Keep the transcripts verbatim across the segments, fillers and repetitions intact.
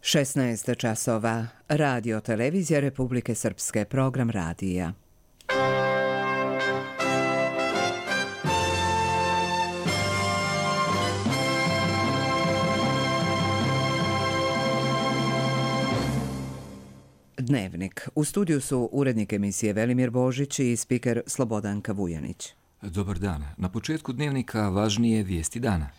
šesnaest časova. Radio Televizija Republike Srpske, program radija. Dnevnik. U studiju su urednik emisije Velimir Božić i spiker Slobodanka Vujanić. Dobar dan. Na početku dnevnika važnije vijesti dana.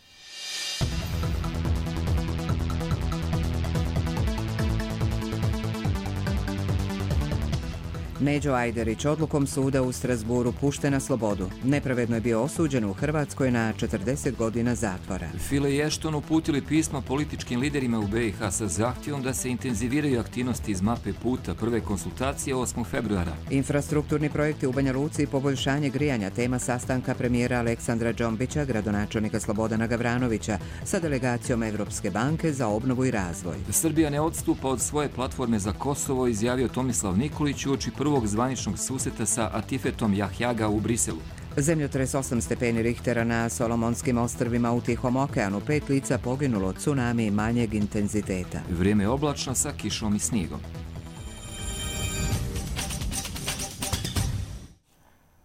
Neđo Ajderić odlukom suda u Strasburu pušten na slobodu. Nepravedno je bio osuđen u Hrvatskoj na četrdeset godina zatvora. File i Ešton uputili pismo političkim liderima u B i H sa zahtjevom da se intenziviraju aktivnosti iz mape puta prve konsultacije osmog februara. Infrastrukturni projekti u Banja Luci i poboljšanje grijanja, tema sastanka premijera Aleksandra Džombića, gradonačelnika Slobodana Gavranovića sa delegacijom Evropske banke za obnovu i razvoj. Srbija ne odstupa od svoje platforme za Kosovo, izjavio Tomislav Nikolić uoči prvog zvaničnog susreta sa Atifetom Jahjaga u Briselu. Zemljotres osam stepeni Richtera na Solomonskim ostrvima u Tihom okeanu, pet lica poginulo od tsunami manjeg intenziteta. Vrijeme je oblačno sa kišom i snijegom.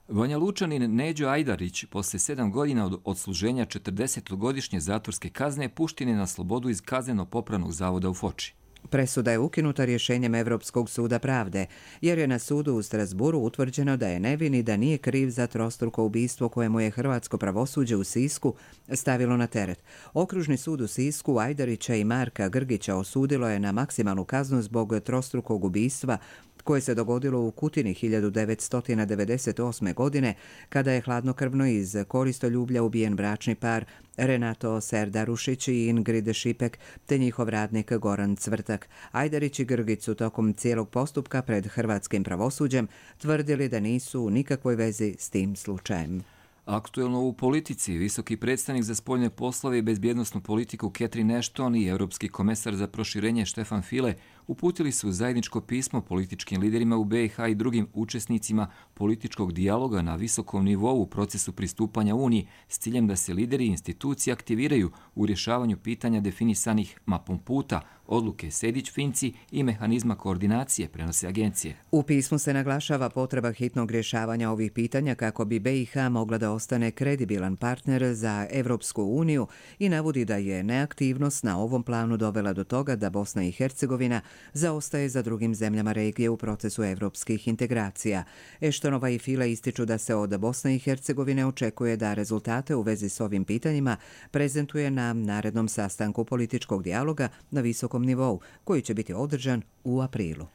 Banja Lučanin Neđo Ajdarić poslije sedam godina od odsluženja četrdesetogodišnje zatvorske kazne pušten je na slobodu iz kazneno-popravnog zavoda u Foči. Presuda je ukinuta rješenjem Evropskog suda pravde, jer je na sudu u Strasburu utvrđeno da je nevin i da nije kriv za trostruko ubistvo kojemu je hrvatsko pravosuđe u Sisku stavilo na teret. Okružni sud u Sisku Ajdarića i Marka Grgića osudilo je na maksimalnu kaznu zbog trostrukog ubistva koje se dogodilo u Kutini hiljadu devetsto devedeset osme. godine, kada je hladnokrvno iz koristoljublja ubijen bračni par Renato Serdarušić i Ingrid Šipek, te njihov radnik Goran Cvrtak. Ajdarić i Grgić su tokom cijelog postupka pred hrvatskim pravosuđem tvrdili da nisu u nikakvoj vezi s tim slučajem. Aktuelno u politici, visoki predstavnik za spoljne poslove i bezbjednosnu politiku Catherine Ashton i europski komesar za proširenje Stefan File uputili su zajedničko pismo političkim liderima u B i H i drugim učesnicima političkog dijaloga na visokom nivou u procesu pristupanja Uniji s ciljem da se lideri institucije aktiviraju u rješavanju pitanja definisanih mapom puta, odluke Sejdić-Finci i mehanizma koordinacije, prenose agencije. U pismu se naglašava potreba hitnog rješavanja ovih pitanja kako bi B i H mogla da ostane kredibilan partner za Evropsku uniju i navodi da je neaktivnost na ovom planu dovela do toga da Bosna i Hercegovina zaostaje za drugim zemljama regije u procesu evropskih integracija. Eštonova i File ističu da se od Bosne i Hercegovine očekuje da rezultate u vezi s ovim pitanjima prezentuje na narednom sastanku političkog dijaloga na visokom nivou, koji će biti održan u aprilu.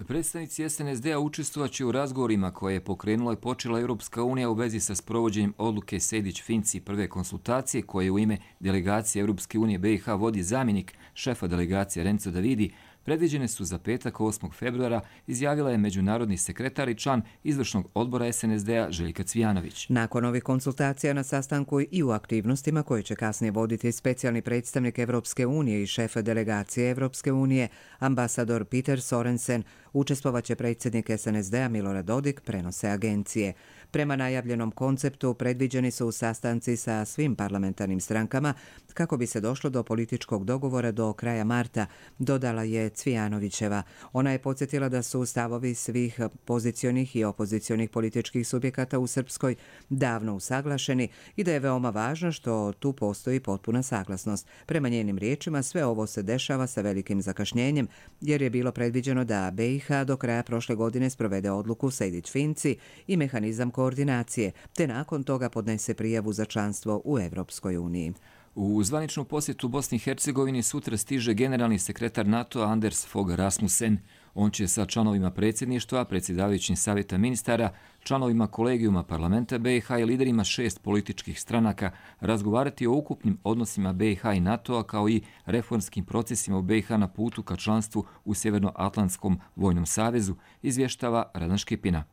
Predstavnici S N S D-a učestvovaće u razgovorima koje je pokrenula i počela Europska unija u vezi sa sprovođenjem odluke Sejdić-Finci prve konsultacije koje u ime delegacije Europske unije B i H vodi zamjenik šefa delegacije Renzo Davidi, predviđene su za petak osmog februara, izjavila je međunarodni sekretar i član izvršnog odbora S N S D-a Željka Cvijanović. Nakon ovih konsultacija na sastanku i u aktivnostima koje će kasnije voditi specijalni predstavnik Evropske unije i šef delegacije Evropske unije, ambasador Peter Sorensen, učestvovaće predsjednik S N S D-a Milorad Dodik, prenose agencije. Prema najavljenom konceptu predviđeni su sastanci sa svim parlamentarnim strankama kako bi se došlo do političkog dogovora do kraja marta, dodala je Cvijanovićeva. Ona je podsjetila da su stavovi svih pozicionih i opozicionih političkih subjekata u Srpskoj davno usaglašeni i da je veoma važno što tu postoji potpuna saglasnost. Prema njenim riječima sve ovo se dešava sa velikim zakašnjenjem jer je bilo predviđeno da B i H do kraja prošle godine sprovede odluku Sejdić-Finci i mehanizam koordinacije, te nakon toga podnese prijavu za članstvo u Evropskoj uniji. U zvaničnu posjetu Bosni i Hercegovini sutra stiže generalni sekretar NATO-a Anders Fogh Rasmussen. On će sa članovima predsjedništva, predsjedavajućim savjeta ministara, članovima kolegijuma parlamenta B i H i liderima šest političkih stranaka razgovarati o ukupnim odnosima B i H i NATO-a kao i reformskim procesima u B i H na putu ka članstvu u Sjevernoatlantskom vojnom savezu, izvještava Radan Škipina.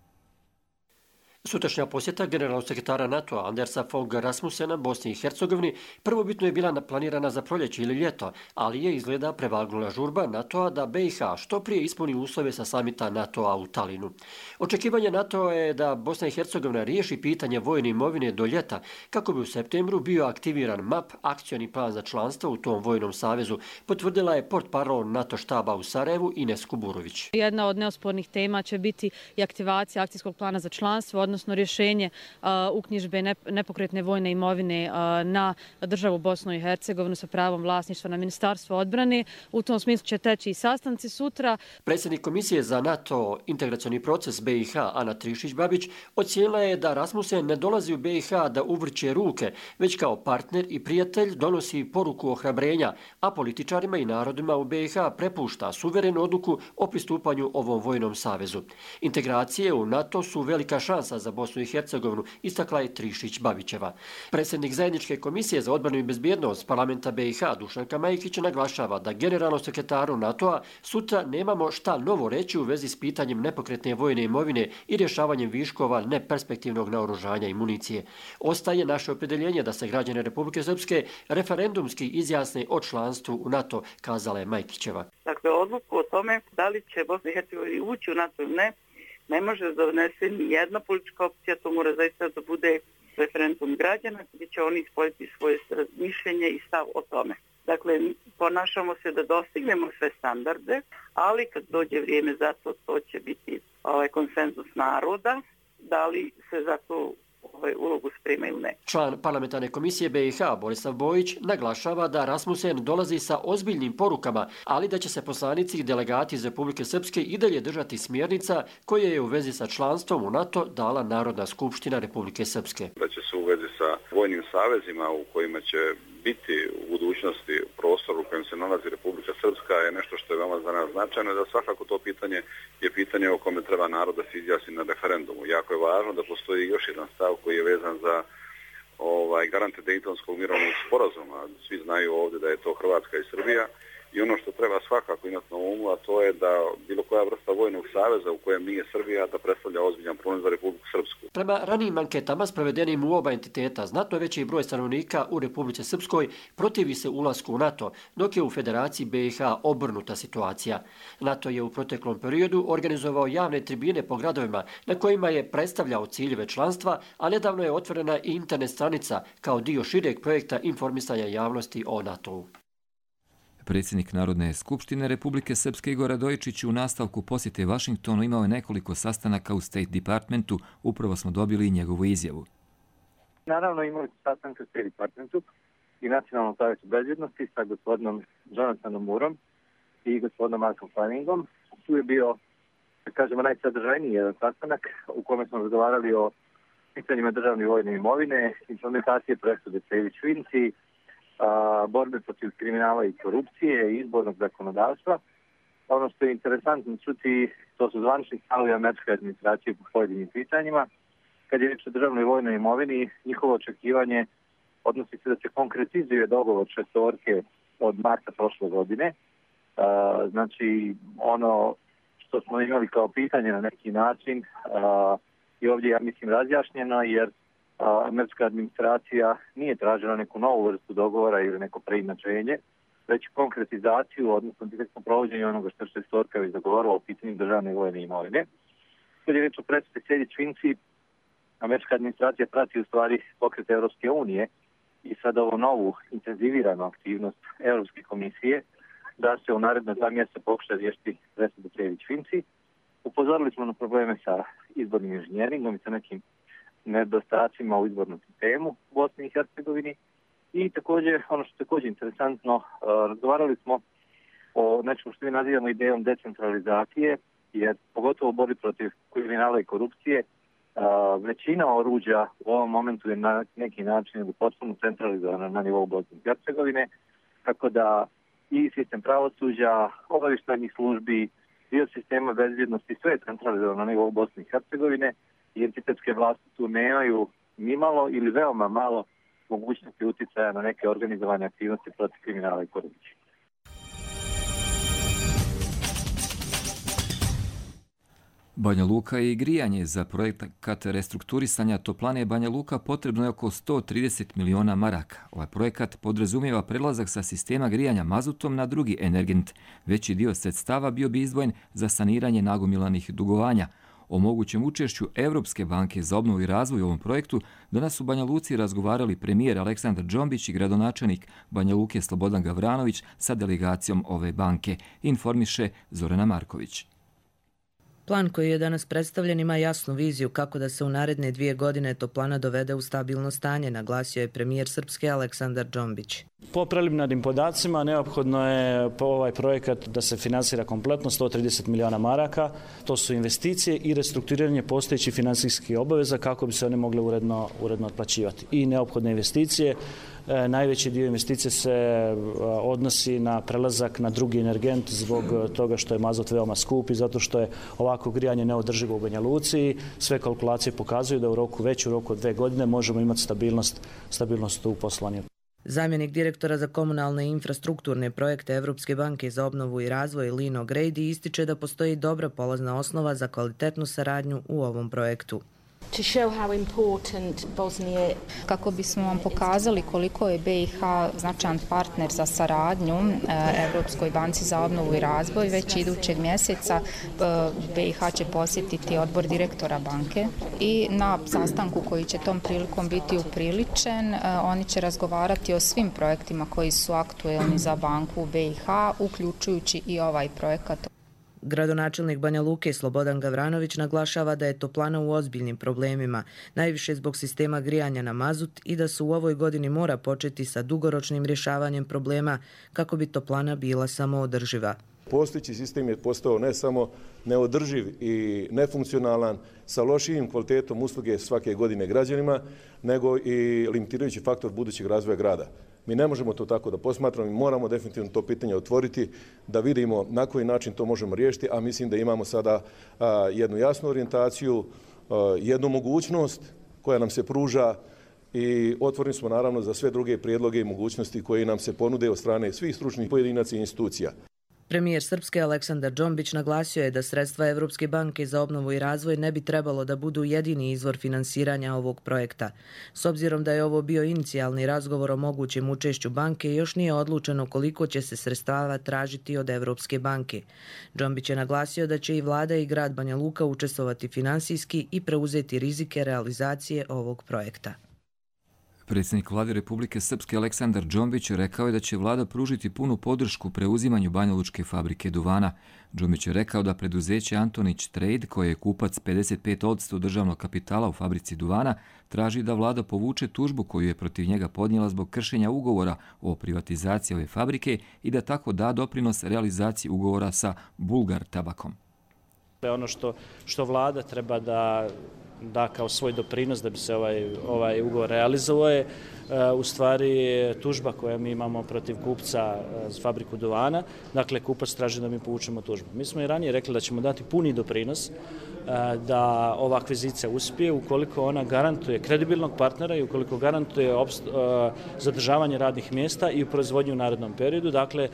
Sutrašnja posjeta generalnog sekretara NATO-a Andersa Fogh Rasmussena Bosni i Hercegovini prvobitno je bila planirana za proljeće ili ljeto, ali je izgleda prevagnula žurba NATO-a da B i H što prije ispuni uslove sa samita NATO-a u Talinu. Očekivanje NATO-a je da Bosna i Hercegovina riješi pitanje vojne imovine do ljeta kako bi u septembru bio aktiviran M A P, akcioni plan za članstvo u tom vojnom savezu, potvrdila je portparol NATO štaba u Sarajevu Ines Kuburović. Jedna od neospornih tema će biti i aktivacija akcijskog plana za članstvo, odnosno rješenje uh, uknjižbe ne, nepokretne vojne imovine uh, na državu Bosnu i Hercegovinu sa pravom vlasništva na Ministarstvo odbrane. U tom smislu će teći i sastanci sutra. Predsjednik Komisije za NATO integracioni proces B i H Ana Trišić-Babić ocijenila je da Rasmussen ne dolazi u B i H da uvrće ruke, već kao partner i prijatelj donosi poruku ohrabrenja, a političarima i narodima u B i H prepušta suverenu odluku o pristupanju ovom vojnom savezu. Integracije u NATO su velika šansa za Bosnu i Hercegovinu, istakla je Trišić-Babićeva. Predsjednik Zajedničke komisije za odbranu i bezbjednost parlamenta B i H Dušanka Majkić naglašava da generalnom sekretaru NATO-a sutra nemamo šta novo reći u vezi s pitanjem nepokretne vojne imovine i rješavanjem viškova neperspektivnog naoružanja i municije. Ostaje naše opredjeljenje da se građani Republike Srpske referendumski izjasne o članstvu u NATO, kazala je Majkićeva. Dakle, odluku o tome da li će Bosna i Hercegovina ući u NATO ili ne, ne može da donese ni jedna politička opcija, to mora zaista da bude referendum građana gdje će oni ispoljiti svoje mišljenje i stav o tome. Dakle, ponašamo se da dostignemo sve standarde, ali kad dođe vrijeme za to, to će biti ovaj konsenzus naroda, da li se za to ovaj ulogu sprema ili ne. Član parlamentarne komisije B i H Borislav Bojić naglašava da Rasmussen dolazi sa ozbiljnim porukama, ali da će se poslanici i delegati iz Republike Srpske i dalje držati smjernica koje je u vezi sa članstvom u NATO dala Narodna skupština Republike Srpske. Da će se u vezi sa vojnim savezima u kojima će biti u budućnosti prostor u kojem se nalazi Republika Srpska je nešto što je veoma za nas značajno, da svakako to pitanje je pitanje o kome treba narod da se izjasni na referendumu. Jako je važno da postoji još jedan stav koji je vezan za ovaj, garante Dejtonskog mirovnog sporazuma. Svi znaju ovdje da je to Hrvatska i Srbija. I ono što treba svakako imati na umu, a to je da bilo koja vrsta vojnog saveza u kojem nije Srbija da predstavlja ozbiljan problem za Republiku Srpsku. Prema ranijim anketama sprovedenim u oba entiteta, znatno veći broj stanovnika u Republici Srpskoj protivi se ulasku u NATO, dok je u Federaciji B i H obrnuta situacija. NATO je u proteklom periodu organizovao javne tribine po gradovima na kojima je predstavljao ciljeve članstva, a nedavno je otvorena i internet stranica kao dio šireg projekta informisanja javnosti o NATO-u. Predsjednik Narodne skupštine Republike Srpske Igor Radojičić u nastavku posjete Vašingtonu imao je nekoliko sastanaka u State Departmentu, upravo smo dobili i njegovu izjavu. Naravno imali smo sastanke u State Departmentu i Nacionalnom savjetu bezbjednosti sa gospodinom Jonathanom Moorom i gospodinom Markom Flemingom. Tu je bio, da kažemo, najsadržajniji jedan sastanak u kome smo razgovarali o pitanjima državne vojne imovine, implementacije presude Sejdić-Finci, borbe protiv kriminala i korupcije i izbornog zakonodavstva. Ono što je interesantno čuti, to su zvanični stavovi američke administracije po pojedinim pitanjima. Kad je riječ o državnoj vojnoj imovini, njihovo očekivanje odnosi se da se konkretizuje dogovor šestorke od marta prošle godine. Znači, ono što smo imali kao pitanje na neki način i ovdje, ja mislim, razjašnjeno, jer američka administracija nije tražila neku novu vrstu dogovora ili neko preinačenje, već konkretizaciju, odnosno direktno provođenje onoga što je šestorka već dogovorila o pitanju državne vojne imovine. Kad je reč o presudi Sejdić-Finci, američka administracija prati u stvari pokret Europske unije i sad ovu novu intenziviranu aktivnost Europske komisije da se u naredna dva mjeseca pokuša riješiti presudu Sejdić-Finci. Upozorili smo na probleme sa izbornim inženjeringom i sa nekim nedostacima u izbornom sistemu u Bosni i Hercegovini. I također, ono što je također interesantno, razgovarali smo o nečemu što mi nazivamo idejom decentralizacije, jer pogotovo u borbi protiv kriminala i korupcije, većina oruđa u ovom momentu je na neki način potpuno centralizovana na nivou Bosne i Hercegovine, tako da i sistem pravosuđa, obavještajnih službi, dio sistema bezbjednosti, sve je centralizovano na nivou Bosne i Hercegovine i entitetske vlasti tu nemaju ni malo ili veoma malo mogućnosti uticaja na neke organizovane aktivnosti protiv kriminala i korupcije. Banja Luka i grijanje. Za projekat restrukturisanja toplane Banja Luka potrebno je oko sto trideset miliona maraka. Ovaj projekat podrazumijeva prelazak sa sistema grijanja mazutom na drugi energent. Veći dio sredstava bio bi izdvojen za saniranje nagomilanih dugovanja. O mogućem učešću Evropske banke za obnovu i razvoj u ovom projektu danas u Banja Luci razgovarali premijer Aleksandar Džombić i gradonačelnik Banja Luke Slobodan Gavranović sa delegacijom ove banke, informiše Zorana Marković. Plan koji je danas predstavljen ima jasnu viziju kako da se u naredne dvije godine toplana dovede u stabilno stanje, naglasio je premijer Srpske Aleksandar Džombić. Po preliminarnim podacima neophodno je po ovaj projekat da se finansira kompletno sto trideset miliona maraka. To su investicije i restrukturiranje postojećih finansijskih obaveza kako bi se one mogle uredno, uredno otplaćivati. I neophodne investicije. E, najveći dio investicije se e, odnosi na prelazak na drugi energent zbog toga što je mazut veoma skup i zato što je ovako grijanje neodrživo u Banja Luci. Sve kalkulacije pokazuju da u roku, već u roku od dve godine možemo imati stabilnost, stabilnost u poslovanju. Zamjenik direktora za komunalne i infrastrukturne projekte Evropske banke za obnovu i razvoj Lino Grady ističe da postoji dobra polazna osnova za kvalitetnu saradnju u ovom projektu. Kako bismo vam pokazali koliko je B i H značajan partner za saradnju Evropskoj banci za obnovu i razvoj, već idućeg mjeseca B i H će posjetiti odbor direktora banke i na sastanku koji će tom prilikom biti upriličen, oni će razgovarati o svim projektima koji su aktuelni za banku B i H, uključujući i ovaj projekat. Gradonačelnik Banja Luke Slobodan Gavranović naglašava da je toplana u ozbiljnim problemima, najviše zbog sistema grijanja na mazut i da se u ovoj godini mora početi sa dugoročnim rješavanjem problema kako bi toplana bila samoodrživa. Postojeći sistem je postao ne samo neodrživ i nefunkcionalan sa lošijim kvalitetom usluge svake godine građanima, nego i limitirajući faktor budućeg razvoja grada. Mi ne možemo to tako da posmatramo i moramo definitivno to pitanje otvoriti, da vidimo na koji način to možemo riješiti, a mislim da imamo sada a, jednu jasnu orijentaciju, a, jednu mogućnost koja nam se pruža i otvoreni smo naravno za sve druge prijedloge i mogućnosti koje nam se ponude od strane svih stručnih pojedinaca i institucija. Premijer Srpske Aleksandar Džombić naglasio je da sredstva Evropske banke za obnovu i razvoj ne bi trebalo da budu jedini izvor finansiranja ovog projekta. S obzirom da je ovo bio inicijalni razgovor o mogućem učešću banke, još nije odlučeno koliko će se sredstava tražiti od Evropske banke. Džombić je naglasio da će i vlada i grad Banja Luka učestvovati finansijski i preuzeti rizike realizacije ovog projekta. Predsjednik vlade Republike Srpske Aleksandar Džombić rekao je da će vlada pružiti punu podršku preuzimanju banjalučke fabrike duvana. Džombić je rekao da preduzeće Antonić Trade, koje je kupac pedeset pet posto državnog kapitala u fabrici duvana, traži da vlada povuče tužbu koju je protiv njega podnijela zbog kršenja ugovora o privatizaciji ove fabrike i da tako da doprinos realizaciji ugovora sa Bulgar tabakom. Ono što, što vlada treba da da kao svoj doprinos da bi se ovaj, ovaj ugovor realizovao je u stvari tužba koja mi imamo protiv kupca za fabriku duvana. Dakle, kupac traži da mi povučemo tužbu. Mi smo i ranije rekli da ćemo dati puni doprinos da ova akvizicija uspije ukoliko ona garantuje kredibilnog partnera i ukoliko garantuje zadržavanje radnih mjesta i proizvodnju u narednom periodu. Dakle,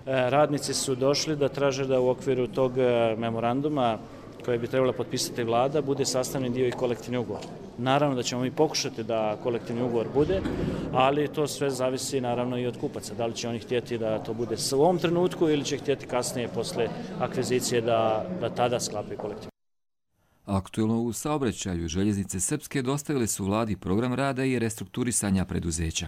radnici su došli da traže da u okviru tog memoranduma koje bi trebala potpisati vlada, bude sastavni dio i kolektivni ugovor. Naravno da ćemo mi pokušati da kolektivni ugovor bude, ali to sve zavisi naravno i od kupaca. Da li će oni htjeti da to bude u ovom trenutku ili će htjeti kasnije posle akvizicije da, da tada sklapaju kolektivni. Aktuelno u saobraćaju Željeznice Srpske dostavili su vladi program rada i restrukturisanja preduzeća.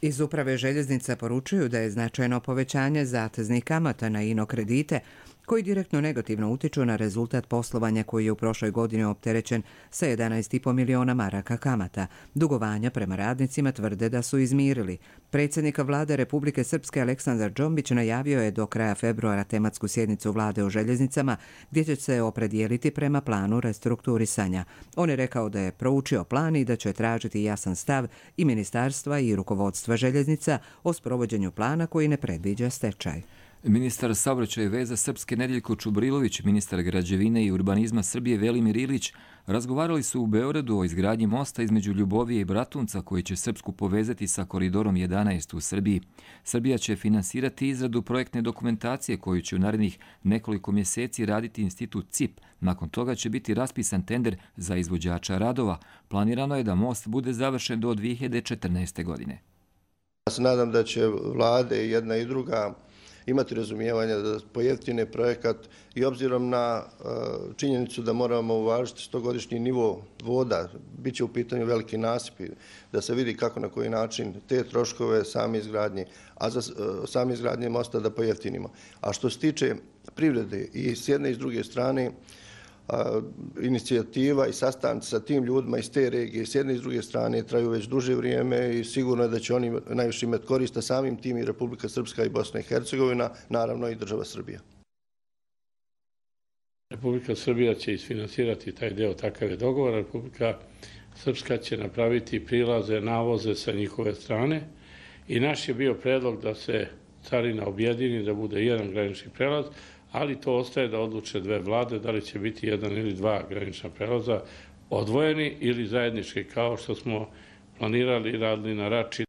Iz uprave željeznica poručuju da je značajno povećanje zateznih kamata na ino kredite, koji direktno negativno utiču na rezultat poslovanja koji je u prošloj godini opterećen sa jedanaest i po miliona maraka kamata. Dugovanja prema radnicima tvrde da su izmirili. Predsjednik vlade Republike Srpske Aleksandar Džombić najavio je do kraja februara tematsku sjednicu vlade o željeznicama gdje će se opredijeliti prema planu restrukturisanja. On je rekao da je proučio plan i da će tražiti jasan stav i ministarstva i rukovodstva željeznica o sprovođenju plana koji ne predviđa stečaj. Ministar saobraćaja i veza Srpske Nedeljko Čubrilović, ministar građevine i urbanizma Srbije Velimir Ilić razgovarali su u Beogradu o izgradnji mosta između Ljubovije i Bratunca koji će Srpsku povezati sa koridorom jedanaest u Srbiji. Srbija će finansirati izradu projektne dokumentacije koju će u narednih nekoliko mjeseci raditi institut C I P. Nakon toga će biti raspisan tender za izvođača radova. Planirano je da most bude završen do dvije hiljade četrnaeste. godine. Ja se nadam da će vlade jedna i druga imati razumijevanja da pojeftine projekat i obzirom na uh, činjenicu da moramo uvažiti stogodišnji nivo voda, bit će u pitanju veliki nasipi, da se vidi kako na koji način te troškove same izgradnje, a za uh, same izgradnje mosta da pojeftinimo. A što se tiče privrede i s jedne i s druge strane, A, inicijativa i sastanci sa tim ljudima iz te regije s jedne i s druge strane traju već duže vrijeme i sigurno je da će oni najviše imati korista samim tim i Republika Srpska i Bosna i Hercegovina, naravno i država Srbija. Republika Srbija će isfinansirati taj deo, takav je dogovor. Republika Srpska će napraviti prilaze, navoze sa njihove strane i naš je bio predlog da se carina objedini, da bude jedan granični prelaz, ali to ostaje da odluče dve vlade, da li će biti jedan ili dva granična prelaza odvojeni ili zajednički, kao što smo planirali i radili na Rači.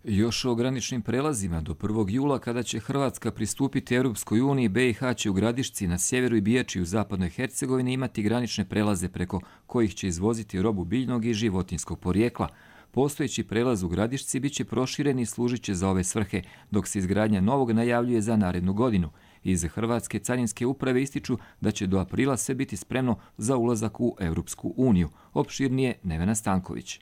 Još o graničnim prelazima do prvog jula, kada će Hrvatska pristupiti Europskoj uniji, B i H će u Gradišci na sjeveru i Bijači u zapadnoj Hercegovini imati granične prelaze preko kojih će izvoziti robu biljnog i životinjskog porijekla. Postojeći prelaz u Gradišci biće proširen i služit će za ove svrhe, dok se izgradnja novog najavljuje za narednu godinu. Iz Hrvatske carinske uprave ističu da će do aprila sve biti spremno za ulazak u Europsku uniju. Opširnije Nevena Stanković.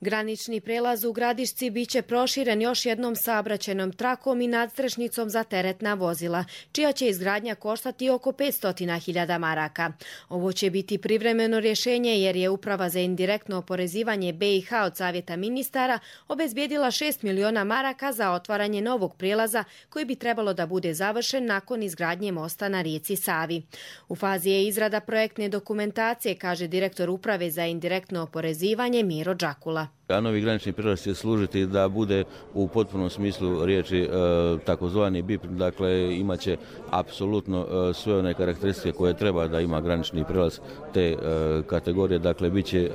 Granični prelaz u Gradišci biće proširen još jednom saobraćajnom trakom i nadstrešnicom za teretna vozila, čija će izgradnja koštati oko petsto hiljada maraka. Ovo će biti privremeno rješenje jer je Uprava za indirektno oporezivanje B i H od Savjeta ministara obezbijedila šest miliona maraka za otvaranje novog prijelaza koji bi trebalo da bude završen nakon izgradnje mosta na rijeci Savi. U fazi je izrada projektne dokumentacije, kaže direktor Uprave za indirektno oporezivanje Miro Đakula. A novi granični prijelaz će služiti da bude u potpunom smislu riječi e, takozvani B I P, dakle imaće apsolutno e, sve one karakteristike koje treba da ima granični prijelaz te e, kategorije, dakle bit će e,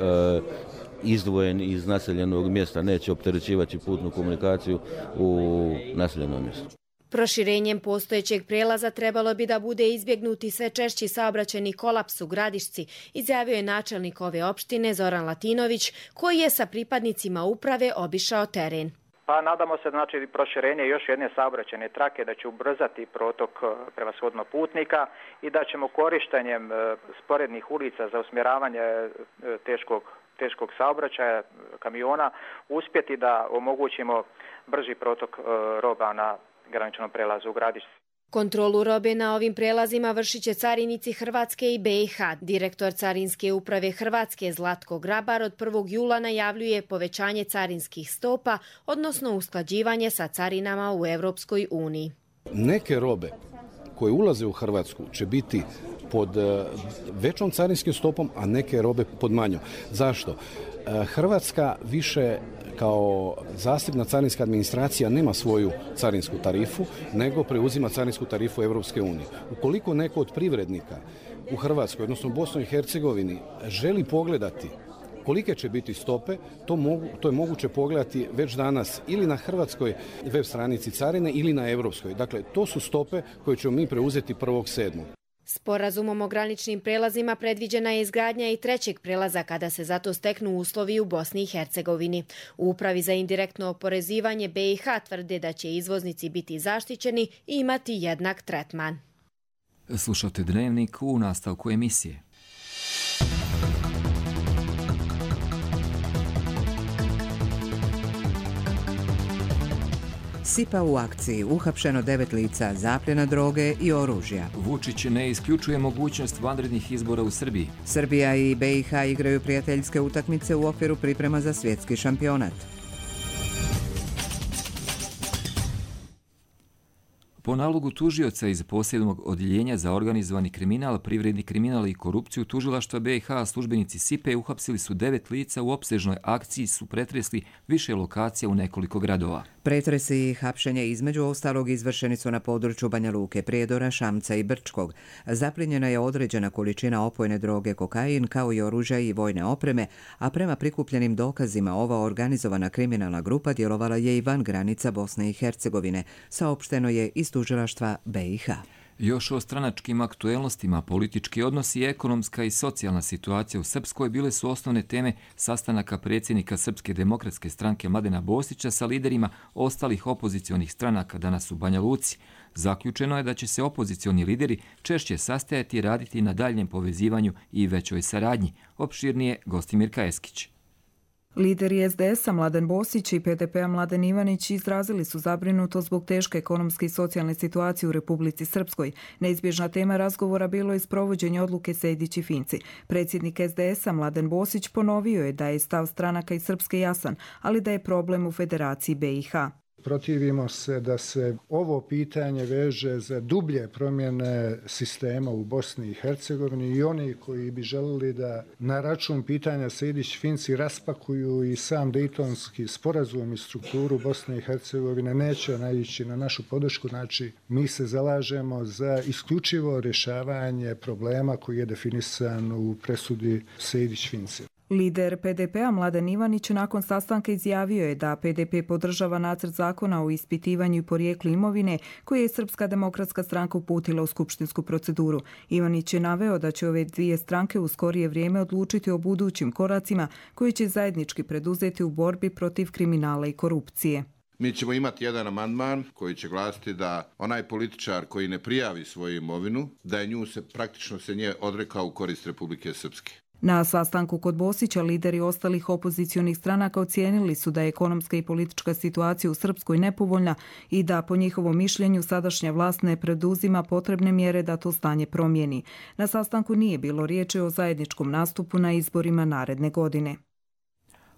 izdvojen iz naseljenog mjesta, neće opterećivati putnu komunikaciju u naseljenom mjestu. Proširenjem postojećeg prelaza trebalo bi da bude izbjegnuti sve češći saobraćajni kolaps u Gradišci, izjavio je načelnik ove opštine Zoran Latinović, koji je sa pripadnicima uprave obišao teren. Pa nadamo se znači proširenje još jedne saobraćajne trake da će ubrzati protok prevashodno putnika i da ćemo korištenjem sporednih ulica za usmjeravanje teškog teškog saobraćaja kamiona uspjeti da omogućimo brži protok roba na graničnom prelazu u Gradišci. Kontrolu robe na ovim prelazima vršit će carinici Hrvatske i B i H. Direktor Carinske uprave Hrvatske Zlatko Grabar od prvog jula najavljuje povećanje carinskih stopa, odnosno usklađivanje sa carinama u Europskoj uniji. Neke robe koje ulaze u Hrvatsku će biti pod većom carinskim stopom, a neke robe pod manjom. Zašto? Hrvatska više kao zasebna carinska administracija nema svoju carinsku tarifu, nego preuzima carinsku tarifu Europske unije. Ukoliko neko od privrednika u Hrvatskoj, odnosno u Bosni i Hercegovini, želi pogledati kolike će biti stope, to, mogu, to je moguće pogledati već danas ili na hrvatskoj web stranici carine ili na europskoj. Dakle, to su stope koje ćemo mi preuzeti prvog sedmog Sporazumom o graničnim prelazima predviđena je izgradnja i trećeg prelaza kada se za to steknu uslovi u Bosni i Hercegovini. U Upravi za indirektno oporezivanje B i H tvrde da će izvoznici biti zaštićeni i imati jednak tretman. Slušate Dnevnik u nastavku emisije. Sipa u akciji, uhapšeno devet lica, zapljena droge i oružja. Vučić ne isključuje mogućnost vanrednih izbora u Srbiji. Srbija i B i H igraju prijateljske utakmice u okviru priprema za svjetski šampionat. Po nalogu tužioca iz posebnog odjeljenja za organizovani kriminal, privredni kriminal i korupciju tužilaštva B i H, službenici Sipe uhapsili su devet lica u opsežnoj akciji, su pretresli više lokacija u nekoliko gradova. Pretresi i hapšenje između ostalog izvršeni su na području Banja Luke, Prijedora, Šamca i Brčkog. Zaplinjena je određena količina opojne droge kokain kao i oružja i vojne opreme, a prema prikupljenim dokazima ova organizovana kriminalna grupa djelovala je i van granica Bosne i Hercegovine, saopšteno je iz tužilaštva B i H. Još o stranačkim aktuelnostima, politički odnosi i ekonomska i socijalna situacija u Srpskoj bile su osnovne teme sastanaka predsjednika Srpske demokratske stranke Mladena Bosića sa liderima ostalih opozicionih stranaka danas u Banja Luci. Zaključeno je da će se opozicioni lideri češće sastajati i raditi na daljem povezivanju i većoj saradnji. Opširnije Gostimir Kajeskić. Lideri es de es a Mladen Bosić i pe de pe a Mladen Ivanić izrazili su zabrinutost zbog teške ekonomske i socijalne situacije u Republici Srpskoj. Neizbježna tema razgovora bilo je sprovođenje odluke Sejdić i Finci. Predsjednik es de es a Mladen Bosić ponovio je da je stav stranaka iz Srpske jasan, ali da je problem u Federaciji be i ha. Protivimo se da se ovo pitanje veže za dublje promjene sistema u Bosni i Hercegovini i oni koji bi želeli da na račun pitanja Sejdić-Finci raspakuju i sam Dejtonski sporazum i strukturu Bosne i Hercegovine neće naići na našu podršku. Znači, mi se zalažemo za isključivo rješavanje problema koji je definisan u presudi Sejdić-Finci. Lider pe de pe a Mladen Ivanić nakon sastanka izjavio je da pe de pe podržava nacrt zakona o ispitivanju i porijeklu imovine koji je Srpska demokratska stranka uputila u skupštinsku proceduru. Ivanić je naveo da će ove dvije stranke u skorije vrijeme odlučiti o budućim koracima koji će zajednički preduzeti u borbi protiv kriminala i korupcije. Mi ćemo imati jedan amandman koji će glasiti da onaj političar koji ne prijavi svoju imovinu, da je nju se praktično se nje odrekao u korist Republike Srpske. Na sastanku kod Bosića lideri ostalih opozicionih stranaka ocijenili su da je ekonomska i politička situacija u Srpskoj nepovoljna i da po njihovom mišljenju sadašnja vlast ne preduzima potrebne mjere da to stanje promijeni. Na sastanku nije bilo riječi o zajedničkom nastupu na izborima naredne godine.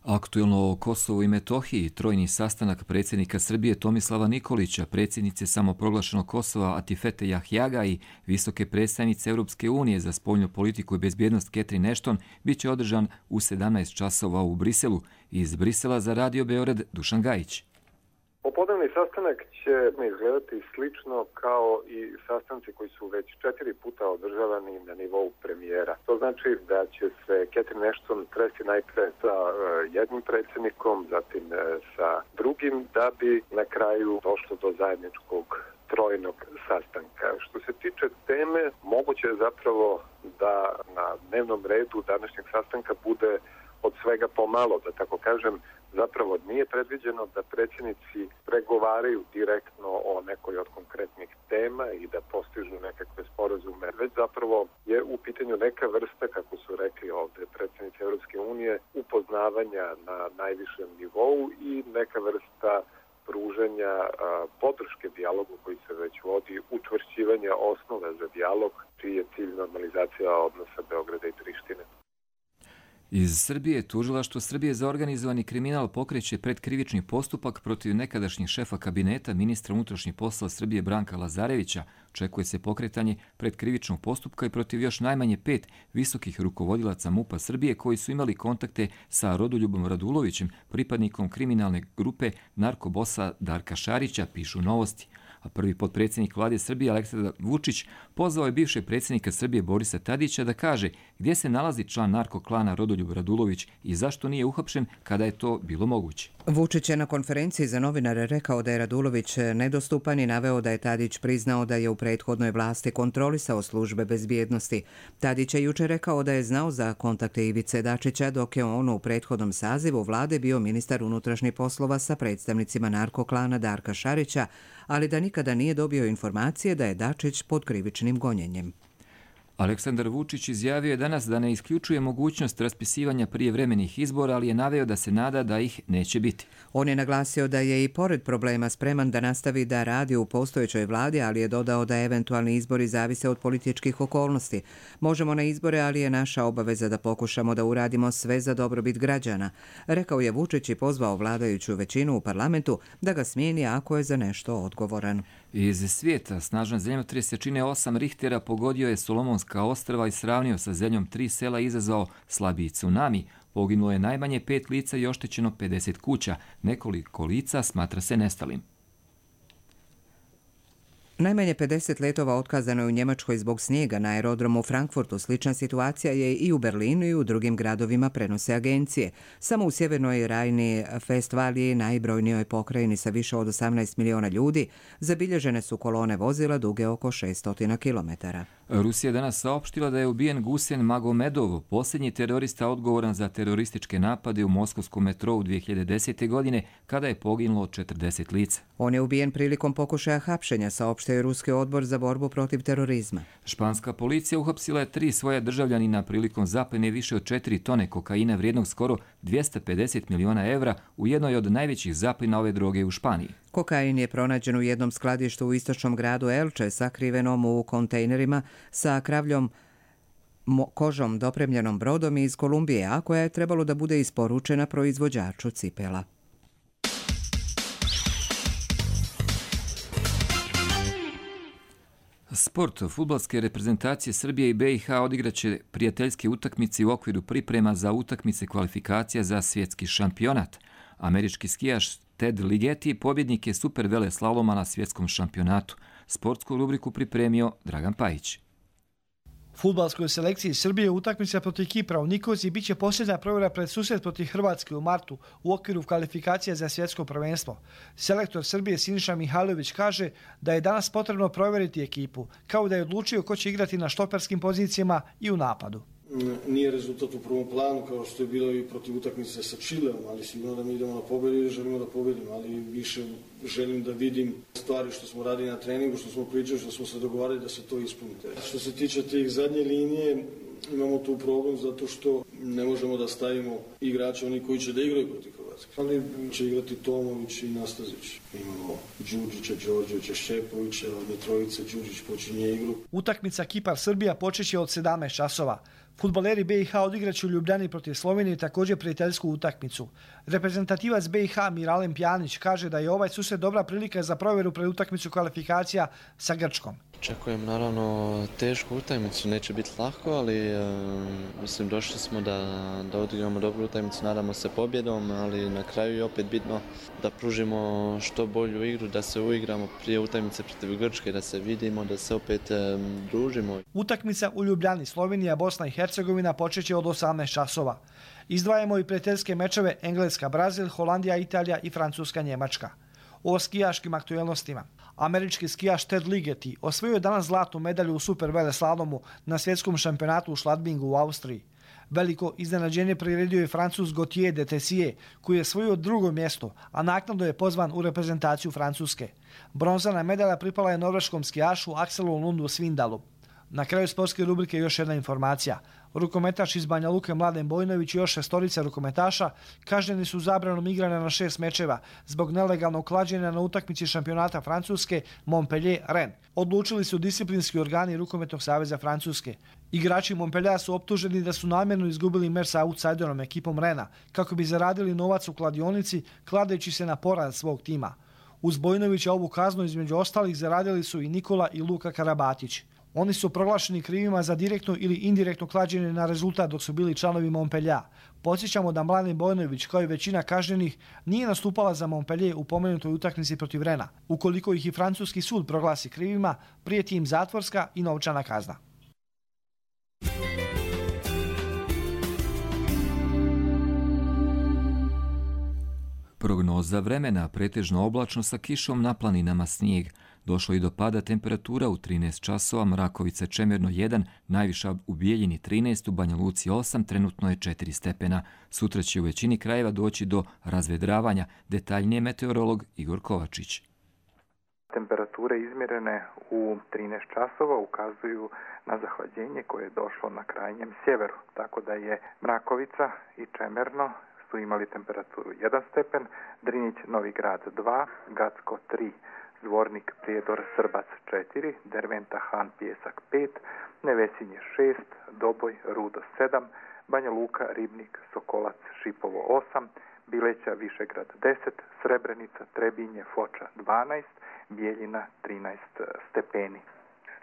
Aktuelno o Kosovu i Metohiji, trojni sastanak predsjednika Srbije Tomislava Nikolića, predsjednice samoproglašenog Kosova Atifete Jahjaga i visoke predstavnice Europske unije za spoljnu politiku i bezbjednost Catherine Ashton bit će održan u sedamnaest časova u Briselu. Iz Brisela za Radio Beograd Dušan Gajić. Popodnevni sastanak će izgledati slično kao i sastanci koji su već četiri puta održavani na nivou premijera. To znači da će se Catherine Ashton tresti najpre sa jednim predsjednikom, zatim sa drugim, da bi na kraju došlo do zajedničkog trojnog sastanka. Što se tiče teme, moguće je zapravo da na dnevnom redu današnjeg sastanka bude od svega pomalo, da tako kažem. Zapravo nije predviđeno da predsjednici pregovaraju direktno o nekoj od konkretnih tema i da postižu nekakve sporazume, već zapravo je u pitanju neka vrsta, kako su rekli ovdje predsjednici Europske unije, upoznavanja na najvišem nivou i neka vrsta pružanja a, podrške dijalogu koji se već vodi, učvršćivanja osnove za dijalog, čiji je cilj normalizacija odnosa Beograda i Prištine. Iz Srbije tužilaštvo Srbije za organizovani kriminal pokreće predkrivični postupak protiv nekadašnjeg šefa kabineta ministra unutrašnjih poslova Srbije Branka Lazarevića. Očekuje se pokretanje predkrivičnog postupka i protiv još najmanje pet visokih rukovodilaca MUP-a Srbije koji su imali kontakte sa Rodoljubom Radulovićem, pripadnikom kriminalne grupe narkobosa Darka Šarića, pišu Novosti. A prvi potpredsjednik vlade Srbije Aleksandar Vučić pozvao je bivšeg predsjednika Srbije Borisa Tadića da kaže gdje se nalazi član narkoklana Rodoljub Radulović i zašto nije uhapšen kada je to bilo moguće. Vučić je na konferenciji za novinare rekao da je Radulović nedostupan i naveo da je Tadić priznao da je u prethodnoj vlasti kontrolisao službe bezbjednosti. Tadić je jučer rekao da je znao za kontakte Ivice Dačića dok je on u prethodnom sazivu vlade bio ministar unutrašnjih poslova sa predstavnicima narkoklana Darka Šarića, ali da nikada nije dobio informacije da je Dačić pod krivičnim gonjenjem. Aleksandar Vučić izjavio je danas da ne isključuje mogućnost raspisivanja prijevremenih izbora, ali je naveo da se nada da ih neće biti. On je naglasio da je i pored problema spreman da nastavi da radi u postojećoj vladi, ali je dodao da eventualni izbori zavise od političkih okolnosti. Možemo na izbore, ali je naša obaveza da pokušamo da uradimo sve za dobrobit građana, rekao je Vučić i pozvao vladajuću većinu u parlamentu da ga smijeni ako je za nešto odgovoran. Iz svijeta snažan zemljotres jačine osam Richtera pogodio je Solomonska ostrva i sravnio sa zemljom tri sela i izazvao slabiji tsunami. Poginulo je najmanje pet lica i oštećeno pedeset kuća. Nekoliko lica smatra se nestalim. Najmanje pedeset letova otkazano je u Njemačkoj zbog snijega na aerodromu u Frankfurtu. Slična situacija je i u Berlinu i u drugim gradovima, prenose agencije. Samo u sjevernoj Rajni Festvaliji, najbrojnijoj pokrajini sa više od osamnaest miliona ljudi, zabilježene su kolone vozila duge oko šesto kilometara. Rusija je danas saopštila da je ubijen Gusen Magomedov, posljednji terorista odgovoran za terorističke napade u moskovskom metrou dvije hiljade desete. godine, kada je poginulo četrdeset lica. On je ubijen prilikom pokušaja hapšenja, saopštio je Ruski odbor za borbu protiv terorizma. Španska policija uhapsila je tri svoja državljanina prilikom zapljene više od četiri tone kokaina vrijednog skoro dvjesto pedeset miliona evra u jednoj od najvećih zapljena ove droge u Španiji. Kokain je pronađen u jednom skladištu u istočnom gradu Elche, sakrivenom u kontejnerima sa kravljom kožom dopremljenom brodom iz Kolumbije, a koja je trebalo da bude isporučena proizvođaču cipela. Sport. Fudbalske reprezentacije Srbije i B i H odigraće prijateljske utakmice u okviru priprema za utakmice kvalifikacija za svjetski šampionat. Američki skijaš Ted Ligeti pobjednik je super vele slaloma na svjetskom šampionatu. Sportsku rubriku pripremio Dragan Pajić. Fudbalskoj selekciji Srbije utakmica protiv Kipra u Nikoziji bit će posljednja provjera pred susret protiv Hrvatske u martu u okviru kvalifikacija za svjetsko prvenstvo. Selektor Srbije Siniša Mihajlović kaže da je danas potrebno provjeriti ekipu, kao da je odlučio ko će igrati na štoperskim pozicijama i u napadu. Nije rezultat u prvom planu kao što je bilo i protiv utakmice sa Čileom, ali sigurno da mi idemo na pobjedu i želimo da pobjedimo, ali više želim da vidim stvari što smo radili na treningu, što smo pričali, što smo se dogovarali da se to ispunite. Što se tiče tih zadnje linije, imamo tu problem zato što ne možemo da stavimo igrače oni koji će da igraju protiv Hrvatske. Ali će igrati Tomović i Nastazić. Imamo Đurđića, Đorđevića, Šćepovića, od trojice Đurđić počinje igru. Utakmica Kipar-Srbija počeće od sedamnaest časova. Fudbaleri B i H odigraće u Ljubljani protiv Slovenije također prijateljsku utakmicu. Reprezentativac B i H Miralem Pjanić kaže da je ovaj susret dobra prilika za provjeru pred utakmicu kvalifikacija sa Grčkom. Očekujem naravno tešku utakmicu, neće biti lako, ali e, mislim došli smo da, da odigramo dobru utakmicu, nadamo se pobjedom, ali na kraju je opet bitno da pružimo što bolju igru, da se uigramo prije utakmice protiv Grčke, da se vidimo, da se opet e, družimo. Utakmica u Ljubljani, Slovenija, Bosna i Hercegovina počeće od osamnaest časova. Izdvajamo i prijateljske mečeve Engleska, Brazil, Holandija, Italija i Francuska, Njemačka. O skijaškim aktuelnostima. Američki skijaš Ted Ligeti osvojio je danas zlatnu medalju u super veleslalomu na svjetskom šampionatu u Schladmingu u Austriji. Veliko iznenađenje priredio je Francuz Gauthier de Tessier, koji je osvojio drugo mjesto, a naknadno je pozvan u reprezentaciju Francuske. Bronzana medalja pripala je norveškom skijašu Akselu Lundu Svindalu. Na kraju sportske rubrike još jedna informacija. Rukometaš iz Banja Luke Mladen Bojnović i još šestorica rukometaša kažnjeni su zabranom igranja na šest mečeva zbog nelegalnog klađenja na utakmici šampionata Francuske Montpellier-Rennes. Odlučili su disciplinski organi Rukometnog saveza Francuske. Igrači Montpelliera su optuženi da su namjerno izgubili meč sa outsiderom ekipom Rena kako bi zaradili novac u kladionici kladeći se na poraz svog tima. Uz Bojnovića ovu kaznu između ostalih zaradili su i Nikola i Luka Karabatić. Oni su proglašeni krivima za direktno ili indirektno klađenje na rezultat dok su bili članovi Montpelliera. Podsjećamo da Mladen Bojnović, kao i većina kažnjenih, nije nastupala za Montpellier u pomenutoj utakmici protiv Rena. Ukoliko ih i francuski sud proglasi krivima, prijeti im zatvorska i novčana kazna. Prognoza vremena, pretežno oblačno sa kišom, na planinama snijeg. Došlo i do pada temperatura u trinaest časova, Mrakovica Čemerno jedan, najviša u Bijeljini trinaest, u Banja Luci osam, trenutno je četiri stepena. Sutra će u većini krajeva doći do razvedravanja, detaljnije meteorolog Igor Kovačić. Temperature izmjerene u trinaest časova ukazuju na zahlađenje koje je došlo na krajnjem sjeveru, tako da je Mrakovica i Čemerno su imali temperaturu jedan stepen, Drinić Novi Grad dva, Gacko tri, Zvornik Prijedor Srbac četiri, Derventa Han Pijesak pet, Nevesinje šest, Doboj Rudo sedam, Banja Luka Ribnik Sokolac Šipovo osam, Bileća Višegrad deset, Srebrenica Trebinje Foča dvanaest, Bijeljina trinaest stepeni.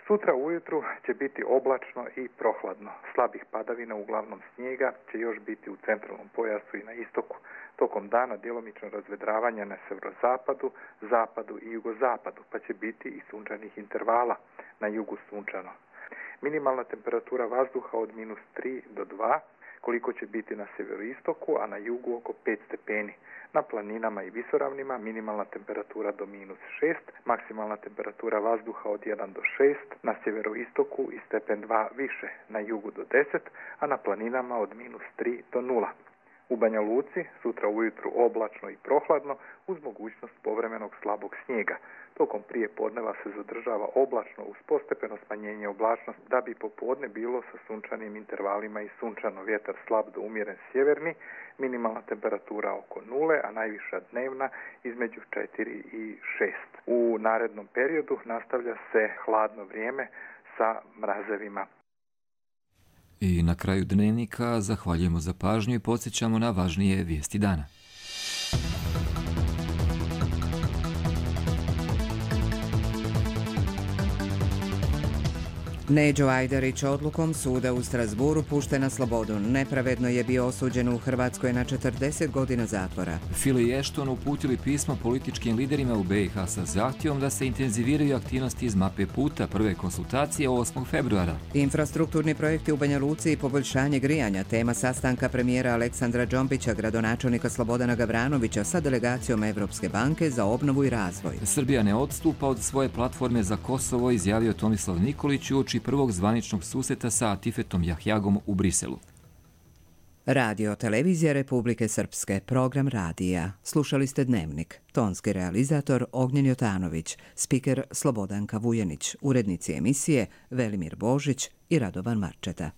Sutra ujutru će biti oblačno i prohladno. Slabih padavina, uglavnom snijega, će još biti u centralnom pojasu i na istoku. Tokom dana djelomično razvedravanja na severozapadu, zapadu i jugozapadu, pa će biti i sunčanih intervala, na jugu sunčano. Minimalna temperatura vazduha od minus tri do dva, koliko će biti na severoistoku, a na jugu oko pet stepeni. Na planinama i visoravnima minimalna temperatura do minus šest, maksimalna temperatura vazduha od jedan do šest, na sjeveroistoku i stepen dva više, na jugu do deset, a na planinama od minus tri do nula. U Banja Luci sutra ujutru oblačno i prohladno uz mogućnost povremenog slabog snijega. Tokom prije podneva se zadržava oblačno uz postepeno smanjenje oblačnosti, da bi popodne bilo sa sunčanim intervalima i sunčano, vjetar slab do umjeren sjeverni, minimalna temperatura oko nule, a najviša dnevna između četiri i šest. U narednom periodu nastavlja se hladno vrijeme sa mrazevima. I na kraju dnevnika zahvaljujemo za pažnju i podsjećamo na važnije vijesti dana. Neđo Ajdarić odlukom suda u Strasburu pušten na slobodu. Nepravedno je bio osuđen u Hrvatskoj na četrdeset godina zatvora. File i Ashton uputili pismo političkim liderima u be i ha sa zahtjevom da se intenziviraju aktivnosti iz mape puta, prve konsultacije osmog februara. Infrastrukturni projekti u Banja Luci i poboljšanje grijanja, tema sastanka premijera Aleksandra Džombića, gradonačelnika Slobodana Gavranovića sa delegacijom Evropske banke za obnovu i razvoj. Srbija ne odstupa od svoje platforme za Kosovo, izjavio Tomislav Nikolić uoči prvog zvaničnog susreta sa Atifetom Jahjagom u Briselu. Radio Televizija Republike Srpske, program radija. Slušali ste Dnevnik. Tonski realizator Ognjen Jotanović, spiker Slobodanka Vujanić, urednici emisije Velimir Božić i Radovan Marčeta.